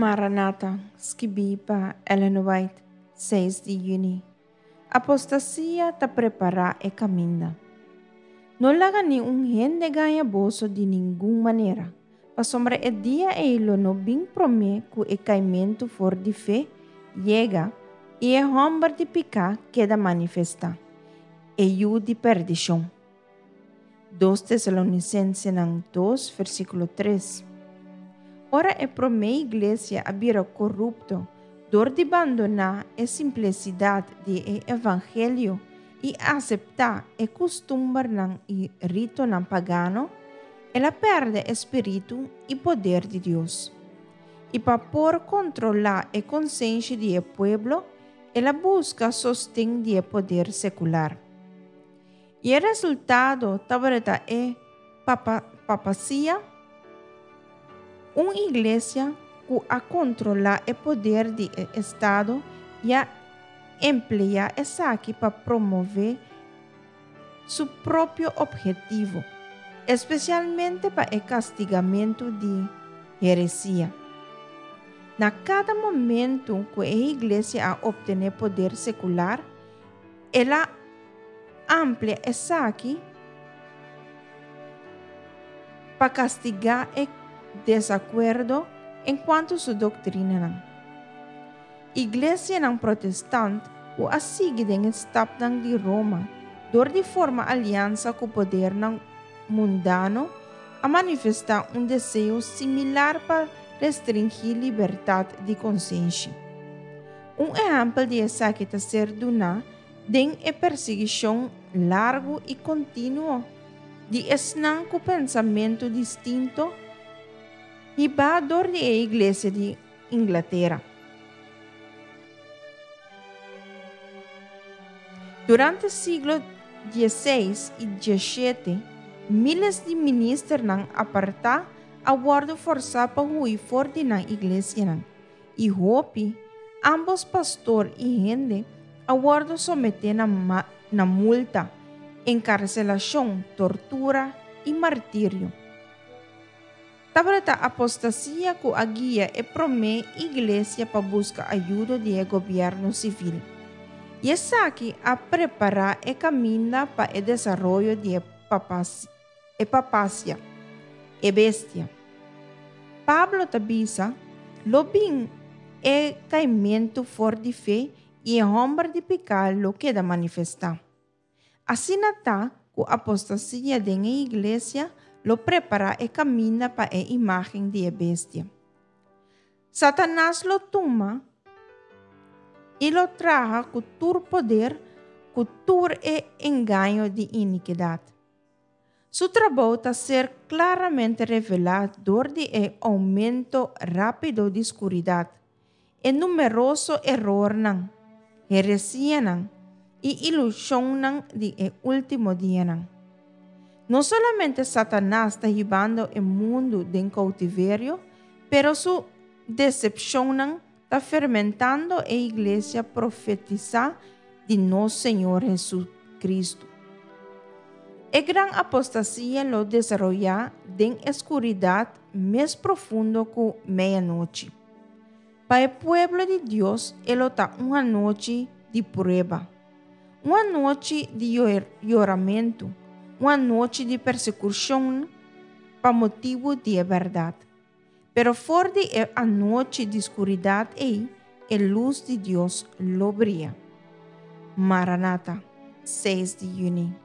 Maranata, skibí pa Ellen White, seis di yüni. Apostasia ta prepará e kaminda. No laga niun hende gaña boso di ningun manera, pasobra e dia ei lo no bin promé ku e kaimentu for di fe yega i e hòmber di piká keda manifestá, e yu di perdishon. Dos Tesalonisensenan dos, versíkulo tres. Ora e promé iglesia a bira korupto dor di bandoná e simplesidat di e evangelio i aseptá e kustumbernan i ritonan pagano, el a pèrdè e spiritu i poder di Dios. I pa por kontrolá e konsenshi di e pueblo, el a buska sosten di e poder sekular. I e resultado tabata e papasia, un iglesia ku a kontrolá e poder di e estado i a empleá esaki pa promové su propio ophetivo, espesialmente pa e kastigamentu di heresia. Na kada momentu ku e iglesia a optené poder sekular, El a amplia esaki pa kastigá e desakuerdo enkuanto su doktrinanan. Iglesianan protestant ku a sigui den e stapnan di Roma dor di forma aliansa ku podernan mundano a manifestá un deseo similar pa restringí libertat di konsenshi. Un ehèmpel di esaki ta ser duná den e persiguishon largu i kontinuo di esnan ku pensamentu distinto hibá dor di e Iglesia di Inglatera. Durante siglo dieseis i dieshete, míles di ministernan apartá a wòrdu forsá pa hui for di nan iglesianan. I hopi, ambos pastor i hende, a wòrdu someté na na multa, enkarselashon, tortura i martirio. Tabata apostasia ku a guia e promé iglesia pa buska ayudo di e gobièrnu sivil. I esaki a prepará e kaminda pa e desaroyo di e e papasia, e bestia. Pablo ta bisa, Lo bin e kaimentu for di fe i e hòmber di piká lo keda manifestá. Asina ta ku apostasia den e iglesia lo prepará e kaminda pa e imágen di e bestia. Satanas lo tuma i lo traha ku tur poder ku tur e engaño di inikidat. Su trabou ta ser klaramente revelá dor di e oumento rápido di skuridat, e numeroso erornan, heresianan i ilushonnan di e último dianan. No solamente Satanas ta hibando e mundu den koutiverio, pero su desepshonnan ta fermentando e iglesia profetisá di nos Señor Jesucristo. E gran apostasia lo desaroyá den e skuridat mes profundo ku meianochi. Pa e pueblo di Dios e lo ta un anochi di prueba, un anochi di yoramentu, un anochi di persekushon pa motibu di e bèrdat. Pero for di e anochi di skuridat ei, e lus di Dios lo bria. Maranata, seis di yüni.